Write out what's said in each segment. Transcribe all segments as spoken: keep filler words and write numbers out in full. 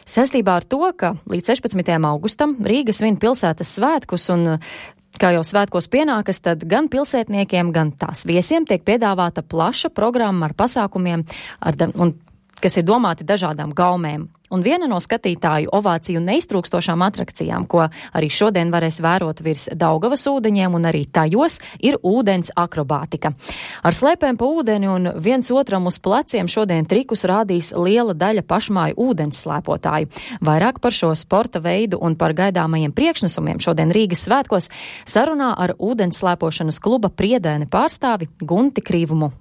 Saistībā ar to, ka līdz sešpadsmitajam augustam Rīga svin pilsētas svētkus un kā jau svētkos pienākas, tad gan pilsētniekiem, gan tās viesiem tiek piedāvāta plaša programma ar pasākumiem, ar, un, kas ir domāti dažādām gaumēm. Un viena no skatītāju ovāciju neiztrūkstošām atrakcijām, ko arī šodien varēs vērot virs Daugavas ūdeņiem un arī tajos, ir ūdens akrobātika. Ar slēpēm pa ūdeni un viens otram uz pleciem šodien trikus rādīs liela daļa pašmāju ūdens slēpotāju. Vairāk par šo sporta veidu un par gaidāmajiem priekšnesumiem šodien Rīgas svētkos sarunā ar ūdens slēpošanas kluba Priedēne pārstāvi Gunti Krīvumu.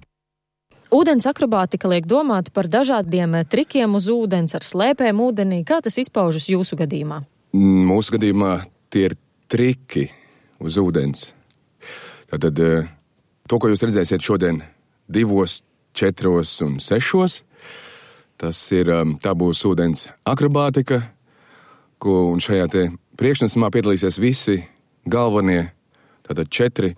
Ūdens akrobātika liek domāt par dažādiem trikiem uz ūdens, ar slēpēm ūdenī. Kā tas izpaužas jūsu gadījumā? Mūsu gadījumā tie ir triki uz ūdens. Tātad to, ko jūs redzēsiet šodien divos, četros un sešos, tas ir, tā būs ūdens akrobātika, ko un šajā te priekšnesumā piedalīsies visi galvenie, tātad četri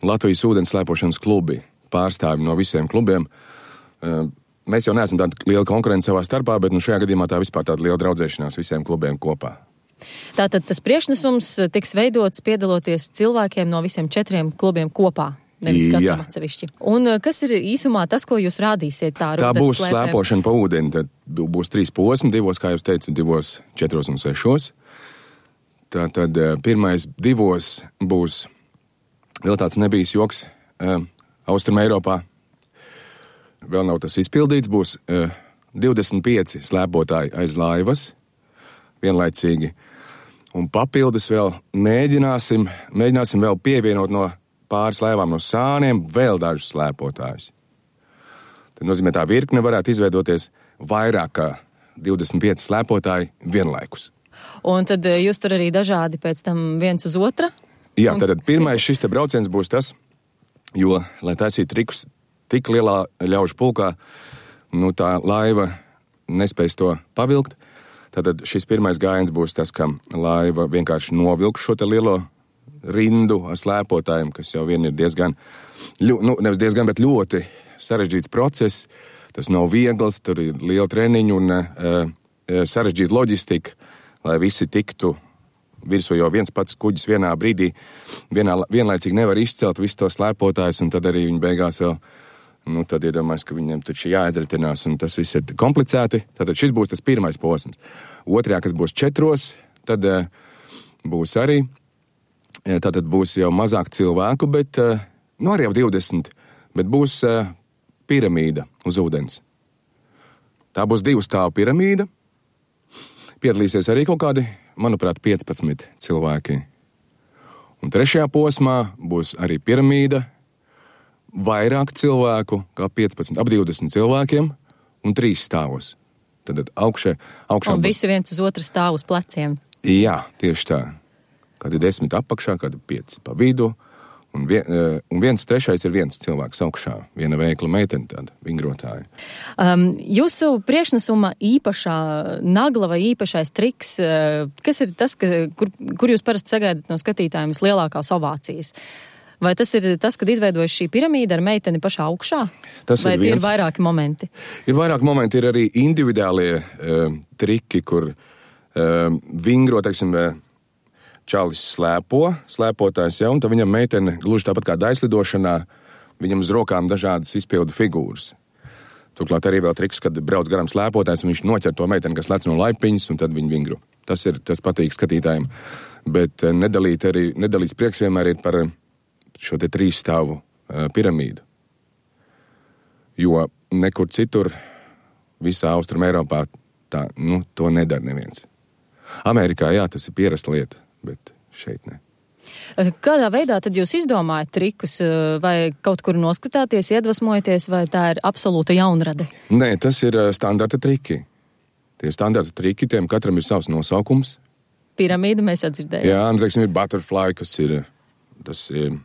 Latvijas ūdens slēpošanas klubi. Pārstāvi no visiem klubiem. Mēs jau neesam tāda liela konkurence savā starpā, bet nu šajā gadījumā tā vispār tāda liela draudzēšanās visiem klubiem kopā. Tātad tas priekšnesums tiks veidots piedaloties cilvēkiem no visiem četriem klubiem kopā, nevis katram atsevišķi. Un kas ir īsumā tas, ko jūs rādīsiet tā ar Tā ūdens būs slēpēm? slēpošana pa ūdeni, tad būs trīs posmi, divos, kā jūs teicu, divos, četros un sešos. Tātad pirmais divos būs vēl tāds nebijis joks, Austrum Eiropā. Vēl nav tas izpildīts, būs uh, divdesmit pieci slēpotāji aiz laivas, vienlaicīgi. Un papildus vēl mēģināsim, mēģināsim vēl pievienot no pāris laivām no sāniem vēl dažus slēpotājus. Tad nozīmē tā virkne varētu izveidoties vairāk kā divdesmit pieci slēpotāji vienlaikus. Un tad jūs tur arī dažādi pēc tam viens uz otra? Jā, un... tad pirmais šis te brauciens būs tas, jo, lai taisītu trikus tik lielā ļaužu pulkā, nu tā laiva nespēs to pavilkt. Tātad šis pirmais gājiens būs tas, ka laiva vienkārši novilks šo te lielo rindu ar slēpotājiem, kas jau vien ir diezgan, ļu, nu nevis diezgan, bet ļoti sarežģīts process. Tas nav viegls, tur ir liela treniņa un uh, sarežģīta loģistika, lai visi tiktu virsū, jo viens pats kuģis vienā brīdī vienā, vienlaicīgi nevar izcelt visu to slēpotājus, un tad arī viņi beigās vēl, nu tad iedomājas, ka viņiem taču jāizretinās, un tas viss ir komplicēti. Tātad šis būs tas pirmais posms. Otrajā, kas būs četros, tad uh, būs arī, tātad būs jau mazāk cilvēku, bet, uh, nu arī jau divdesmit, bet būs uh, piramīda uz ūdens. Tā būs divu stāvu piramīda. Piedalīsies arī kaut kādi, manuprāt, piecpadsmit cilvēki. Un trešajā posmā būs arī piramīda, vairāk cilvēku, kā piecpadsmit, ap divdesmit cilvēkiem un trīs stāvos. Tad augšē, augšā un būs... visi viens uz otru stāv uz pleciem. Jā, tieši tā. Kādi desmit apakšā, kādi pieci pa vidu. Un, vien, un viens trešais ir viens cilvēks augšā, viena veikla meitene, tāda vingrotāja. Um, jūsu priekšnesuma īpašā nagla vai īpašais triks, uh, kas ir tas, ka, kur, kur jūs parasti sagaidat no skatītājiem vislielākās ovācijas? Vai tas ir tas, kad izveidojas šī piramīda ar meiteni pašā augšā? Tas vai ir viens... ir vairāki momenti? Ir vairāki momenti, ir arī individuālie uh, triki, kur uh, vingro, teiksim, uh, čalis slēpo, slēpotājs jau, un tad viņam meitene, gluži tāpat kā daislidošanā, viņam uz rokām dažādas izpildu figūras. Turklāt arī vēl triks, kad brauc garām slēpotājs, un viņš noķer to meiteni, kas lec no laipiņas, un tad viņi vingro. Tas ir, tas patīk skatītājiem. Bet nedalīt arī, nedalīts prieks vienmēr ir par šo te trīs stāvu uh, piramīdu. Jo nekur citur, visā Austrum Eiropā, tā, nu, to nedara neviens. Amerikā, jā, tas ir pierasta lieta. Bet šeit ne. Kādā veidā tad jūs izdomājat trikus, vai kaut kur noskatāties, iedvesmojaties, vai tā ir absolūta jaunrade? Nē, tas ir standarta triki. Tie standarta triki, tiem katram ir savs nosaukums. Piramīda mēs atdzirdējām. Jā, un, teiksim, ir butterfly, kas ir, tas ir,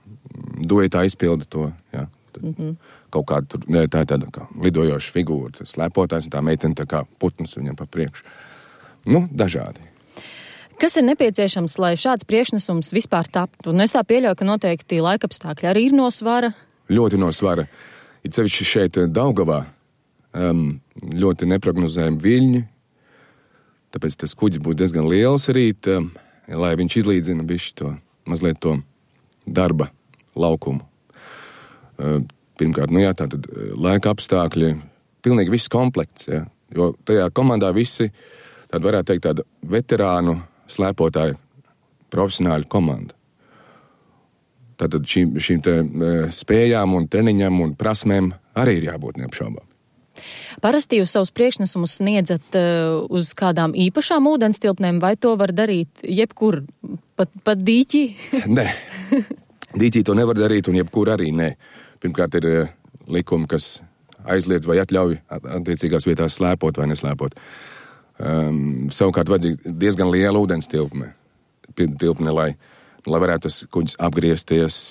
duetā izpilda to, jā. Mm-hmm. Kaut kāda tur, ne, tā ir tāda kā lidojoša figūra, tas slēpotājs, un tā meitene tā kā putns viņam pa priekšu. Nu, dažādi. Kas ir nepieciešams, lai šāds priekšnesums vispār taptu? Un es tā pieļauju, ka noteikti laikapstākļi arī ir no svara. Ļoti no svara. It sevišķi šeit Daugavā um, ļoti neprognozējami viļņi. tāpēc tas kuģis būs diezgan liels arī, tā, lai viņš izlīdzina bišķi to, mazliet to darba laukumu. Pirmkārt, nu jā, tātad laika apstākļi, pilnīgi viss komplekts, jā, jo tajā komandā visi, tāda varētu teikt, tāda veterānu slēpotāju profesionāļu komanda. Tātad šīm, šīm te spējām un treniņam un prasmēm arī ir jābūt neapšaubām. Parasti jūs savus priekšnesumus sniedzat uh, uz kādām īpašām ūdenstilpnēm, vai to var darīt jebkur, pat, pat dīķī? Nē, dīķī to nevar darīt un jebkur arī nē. Pirmkārt ir uh, likumi, kas aizliedz vai atļauj attiecīgās vietās slēpot vai neslēpot. Um, savukārt vajadzīga diezgan liela ūdenstilpne, tilpne, lai, lai varētu tas kuģis apgriezties,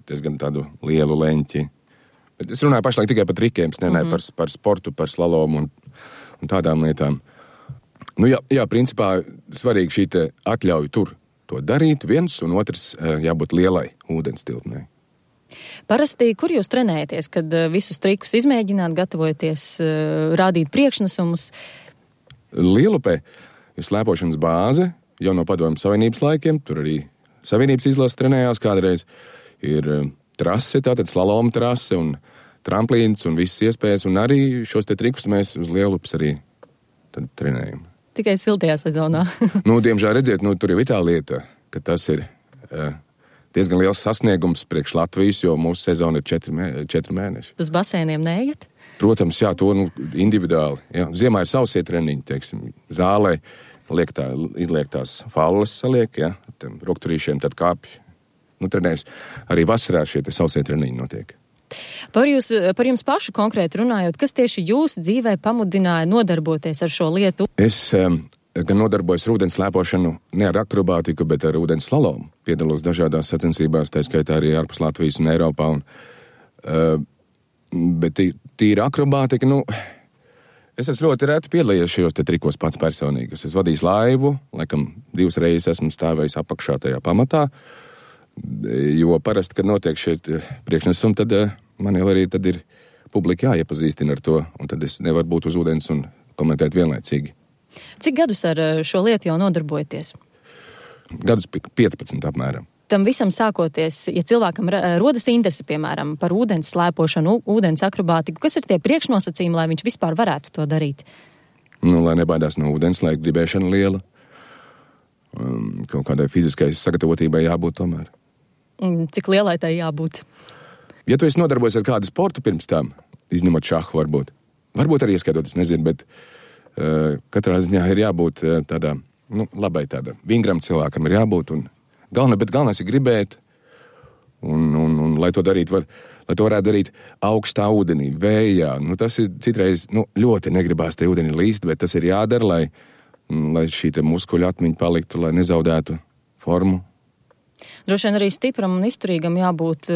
diezgan tādu lielu leņķi. Es runāju pašlaik tikai par trikiem, es nenāju mm-hmm. par, par sportu, par slalomu un, un tādām lietām. Nu jā, jā, principā svarīgi šī te atļauja tur to darīt, viens un otrs jābūt lielai ūdenstilpnei. Parasti, kur jūs trenējaties, kad visus trikus izmēģināt, gatavojaties rādīt priekšnesumus? Lielupē ir slēpošanas bāze, jau no Padomju Savienības laikiem, tur arī Savienības izlases trenējās kādreiz, ir trase, tātad slaloma trase un tramplīns un visas iespējas, un arī šos te trikus mēs uz Lielupes arī tad trenējam. Tikai siltajā sezonā. Nu, diemžēl redziet, nu, tur jau ir tā lieta, ka tas ir uh, diezgan liels sasniegums priekš Latvijas, jo mūsu sezona ir četri, mē, četri mēneši. Uz basēniem neiet? Protams, jā, to nu, individuāli. Jā. Ziemā ir sausie treniņi, teiksim, zālē liek tā, izliek tās falles saliek, jā, tiem rokturīšiem tad kāpj. Nu, trenēs. Arī vasarā šie te sausie treniņi notiek. Par, jūs, par jums pašu konkrēti runājot, kas tieši jūs dzīvē pamudināja nodarboties ar šo lietu? Es um, gan nodarbojos ar ūdens slēpošanu ne ar akrobātiku, bet ar ūdens slalomu. Piedalos dažādās sacensībās, tā skaitā arī ārpus Latvijas un Eiropā. Un, uh, bet tī, tīra akrobātika, nu, es esmu ļoti reti piedalījies šajos te trikos pats personīgi. Es esmu vadījis laivu, laikam divas reizes esmu stāvējis apakšā tajā pamatā. Jo parasti, kad notiek šie priekšnesumi, tad man jau arī tad ir publika jāiepazīstina ar to, un tad es nevaru būt uz ūdens un komentēt vienlaicīgi. Cik gadus ar šo lietu jau nodarbojaties? Gadus piecpadsmit apmēram. Tam visam sākoties, ja cilvēkam rodas interese, piemēram, par ūdens slēpošanu, ūdens akrobātiku, kas ir tie priekšnosacījumi, lai viņš vispār varētu to darīt? Nu, lai nebaidās no ūdens, lai gribēšana liela. Um, kaut kādai fiziskai sagatavotībai jābūt tomēr. Cik lielai tai jābūt? Ja tu esi nodarbojies ar kādu sportu pirms tam, izņemot šahu varbūt, varbūt arī ieskaitot, es nezinu, bet uh, katrā ziņā ir jābūt uh, tādā, nu, labai tāda, vingram cilvēkam ir jābūt, un galvenais, bet galvenais ir gribēt, un, un, un lai to darīt var, lai to varētu darīt augstā ūdenī, vējā, nu, tas ir citreiz, nu, ļoti negribās te ūdenī līst, bet tas ir jādara, lai, lai šī te muskuļu atmiņa paliktu, lai nezaudētu formu. Droši vien arī stipram un izturīgam jābūt,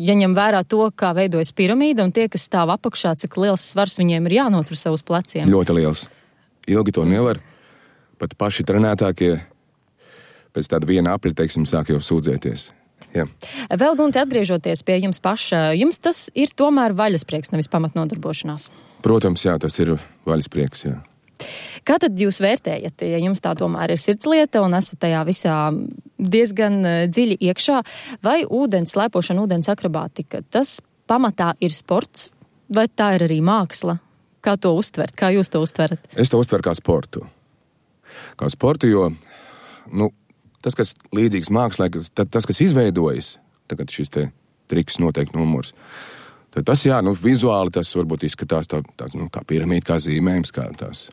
ja ņem vērā to, kā veidojas piramīda, un tie, kas stāv apakšā, cik liels svars viņiem ir jānotur savus pleciem. Ļoti liels. Ilgi to nevar. Pat paši trenētākie pēc tāda viena apļa, teiksim, sāk jau sūdzēties. Jā. Vēl, Gunti, atgriežoties pie jums paša, jums tas ir tomēr vaļasprieks, nevis pamatnodarbošanās? Protams, jā, tas ir vaļasprieks, jā. Kā tad jūs vērtējat, ja jums tā tomēr ir sirdslieta un esat tajā visā diezgan dziļi iekšā, vai ūdens slēpošana, ūdens akrobātika, tas pamatā ir sports, vai tā ir arī māksla? Kā to uztvert? Kā jūs to uztverat? Es to uztveru kā sportu. Kā sportu, jo, nu, tas, kas līdzīgs mākslā, tas, kas izveidojas, tagad šis te triks noteikti numurs, tad tas, jā, nu, vizuāli tas varbūt izskatās tā, tāds, nu, kā piramīda, kā zīmējums, kā tās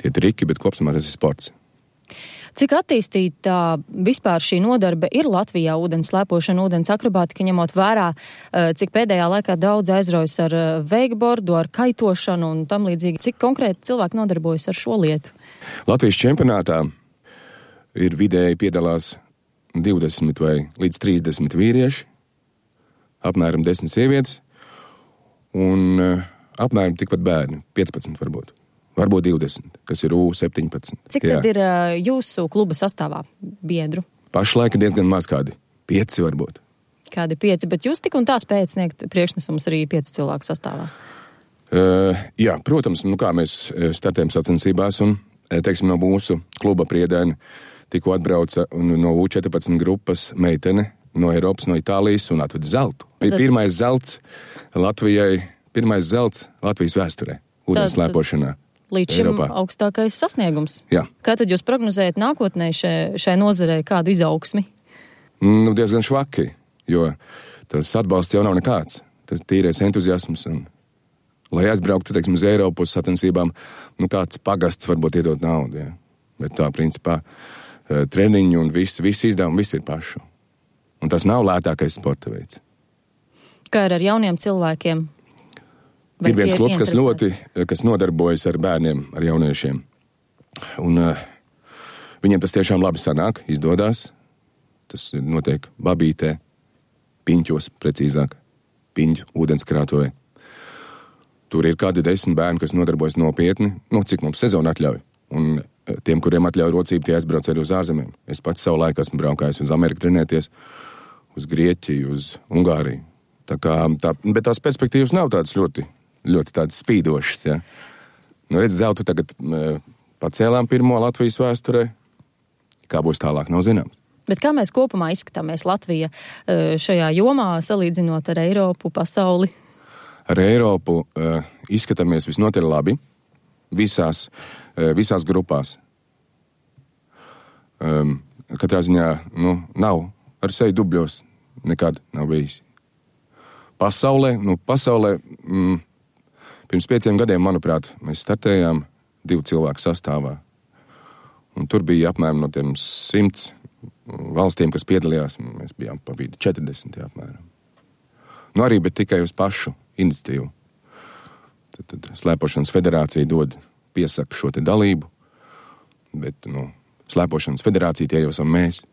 tie triki, bet kopsumā tas ir sports. Cik attīstīta vispār šī nodarbe ir Latvijā ūdens slēpošana, ūdens akrobātika, ņemot vērā, cik pēdējā laikā daudz aizraujas ar veikbordu, ar kaitošanu un tam līdzīgi? Cik konkrēti cilvēki nodarbojas ar šo lietu? Latvijas čempionātā ir vidēji piedalās divdesmit vai līdz trīsdesmit vīrieši, apmēram desmit sievietes un apmēram tikpat bērni, piecpadsmit varbūt. Varbūt divdesmit, kas ir U septiņpadsmit. Cik jā. Tad ir uh, jūsu kluba sastāvā biedru? Pašlaik ir diezgan maz kādi. Pieci varbūt. Kādi pieci, bet jūs tik un tā spējat sniegt priekšnesumus arī piecu cilvēku sastāvā? Uh, jā, protams, nu kā mēs startējam sacensībās un teiksim, no mūsu kluba Priedēna tikko atbrauca no U četrpadsmit grupas meitene no Eiropas, no Itālijas un atveda zeltu. Tad... Pirmais zelts Latvijai, pirmais zelts Latvijas vēsturē, ūdens slēpošanā. Līdz šim Eiropā. Augstākais sasniegums. Jā. Kā tad jūs prognozējat nākotnē šai, šai nozarei kādu izaugsmi? Nu, diezgan švaki, jo tas atbalsts jau nav nekāds. Tas tīrais entuziasms un, lai aizbrauktu, teiksim, uz Eiropu uz sacensībām, nu, kāds pagasts varbūt iedot naudu, jā. Bet tā, principā, treniņu un viss, viss izdevumi, viss ir pašu. Un tas nav lētākais sporta veids. Kā ir ar jauniem cilvēkiem? Vai ir viens klubs, kas ļoti, kas nodarbojas ar bērniem, ar jauniešiem. Un uh, viņiem tas tiešām labi sanāk, izdodās. Tas notiek Babītē, Piņķos, precīzāk, Piņķu ūdenskrātuvē. Tur ir kādi desmit bērni, kas nodarbojas nopietni, nu, cik mums sezona atļauj. Un uh, tiem, kuriem atļauj rocību, tie aizbrauc arī uz ārzemēm. Es pats savu laiku esmu braukājis uz Ameriku trenēties, uz Grieķiju, uz Ungāriju. Tā kā, tā, bet tās perspektīvas nav tādas ļoti, ļoti tādas spīdošas, ja. Nu, redz, zeltu tagad uh, pacēlām pirmo Latvijas vēsturē. Kā būs tālāk, nav zināms. Bet kā mēs kopumā izskatāmies Latvija uh, šajā jomā, salīdzinot ar Eiropu, pasauli? Ar Eiropu uh, izskatāmies visnotaļ labi visās, uh, visās grupās. Um, katrā ziņā, nu, nav ar seju dubļos, nekad nav bijis. Pasaulē, nu, pasaulē, mm, pirms pieciem gadiem, manuprāt, mēs startējām divu cilvēku sastāvā. Un tur bija apmēram no tiem simts valstīm, kas piedalījās, mēs bijām pa vidu četrdesmit apmēram. Nu, arī, bet tikai uz pašu iniciatīvu. Tad, tad Slēpošanas federācija dod piesaka šo te dalību, bet, nu, Slēpošanas federācija tie jau esam mēs.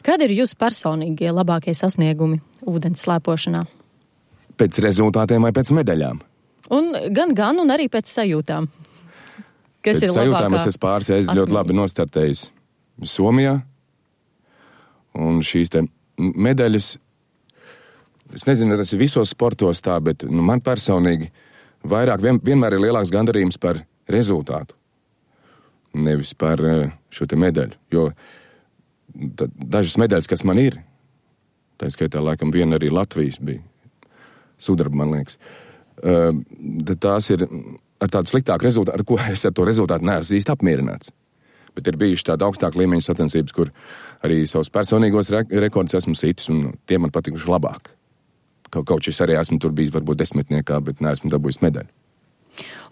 Kādi ir jūsu personīgie labākie sasniegumi ūdens slēpošanā? Pēc rezultātiem vai pēc medaļām? Un gan, gan, un arī pēc sajūtām. Kas pēc ir sajūtām labākā? Es esmu pāris reizes ļoti labi nostartējis Somijā. Un šīs te medaļas, es nezinu, tas ir visos sportos tā, bet nu, man personīgi vairāk vien, vienmēr ir lielāks gandarījums par rezultātu. Nevis par šo te medaļu. Jo dažas medaļas, kas man ir, tā skaitā laikam viena arī Latvijas bija, sudraba, man liekas, uh, tās ir ar tādu sliktāku rezultātu, ar ko es ar to rezultātu neesmu īsti apmierināts. Bet ir bijuši tāda augstāka līmeņa sacensības, kur arī savus personīgos re- rekordus esmu sitis, un tie man patikuši labāk. Kaut, kaut šis arī esmu tur bijis varbūt desmitniekā, bet neesmu dabūjis medaļu.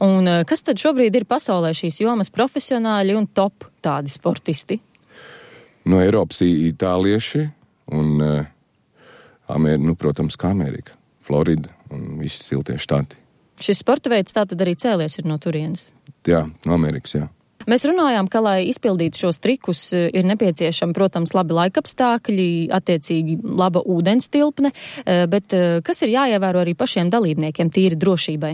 Un kas tad šobrīd ir pasaulē šīs jomas profesionāļi un top tādi sportisti? No Eiropas itālieši un, uh, Amer, nu, protams, kā Amerika. Florida un visi siltie štati. Šis sporta veids tātad arī cēlies ir no turienes? Jā, no Amerikas, jā. Mēs runājām, ka, lai izpildītu šos trikus, ir nepieciešami, protams, labi laikapstākļi, attiecīgi laba ūdens tilpne, bet kas ir jāievēro arī pašiem dalībniekiem tīri drošībai?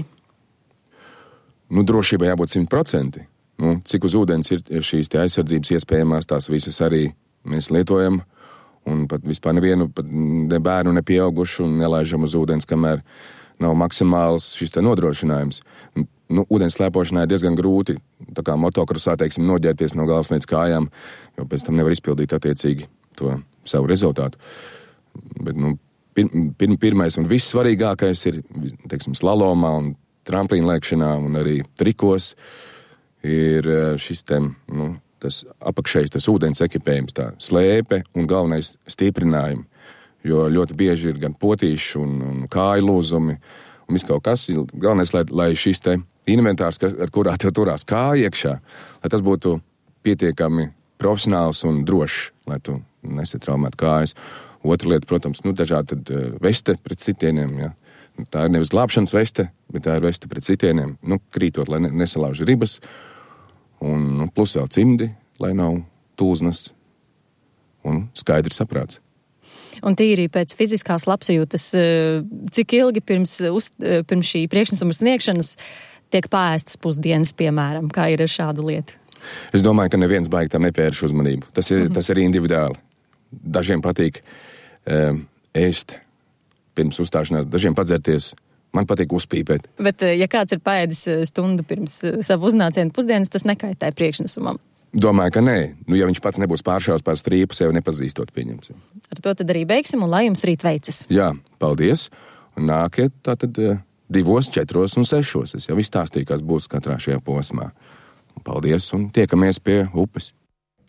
Nu, drošībai jābūt simt procenti. Nu, cik uz ūdens ir šīs te aizsardzības iespējamās, tās visas arī mēs lietojam. Un pat vispār nevienu pat ne bērnu, ne pieaugušu un nelaižam uz ūdens, kamēr nav maksimāls šis te nodrošinājums. Nu, ūdens slēpošanā ir diezgan grūti, tā kā motokrosā, teiksim, noģērties no galvas līdz kājām, jo pēc tam nevar izpildīt attiecīgi to savu rezultātu. Bet, nu, pir, pir, pirmais un vissvarīgākais ir, teiksim, slalomā un tramplīna lēkšanā un arī trikos ir šis te, nu, tas apakšējs, tas ūdens ekipējums, tā slēpe un galvenais stiprinājumi, jo ļoti bieži ir gan potīši un, un kāju lūzumi un viss kaut kas. Galvenais, lai, lai šis te inventārs, kas, ar kurā tev turās kāja iekšā, lai tas būtu pietiekami profesionāls un drošs, lai tu nesatraumētu kājas. Otra lieta, protams, nu, dažādi tad uh, veste pret sitieniem, ja. Tā ir nevis glābšanas veste, bet tā ir veste pret sitieniem, nu, krītot, lai ne, nesalauž ribas. Un nu, plus vēl cimdi, lai nav tūznas un skaidrs saprāts. Un tīri pēc fiziskās labsajūtas, cik ilgi pirms, uz, pirms šī priekšnesuma sniegšanas tiek pāēstas pusdienas, piemēram, kā ir ar šādu lietu? Es domāju, ka neviens baigi tam nepērš uzmanību. Tas ir, mm-hmm. tas ir individuāli. Dažiem patīk um, ēst pirms uzstāšanās, dažiem padzerties Man patīk uzpīpēt. Bet, ja kāds ir paēdis stundu pirms savu uznācienu pusdienas, tas nekaitē priekšnesumam? Domāju, ka nē. Nu, ja viņš pats nebūs pāršāvis pār strīpu, sevi nepazīstot, pieņemsim. Ar to tad arī beigsim, un lai jums rīt veicas. Jā, paldies. Un nākiet tātad divos, četros un sešos. Es jau izstāstīju, kas būs katrā šajā posmā. Paldies un tiekamies pie upes.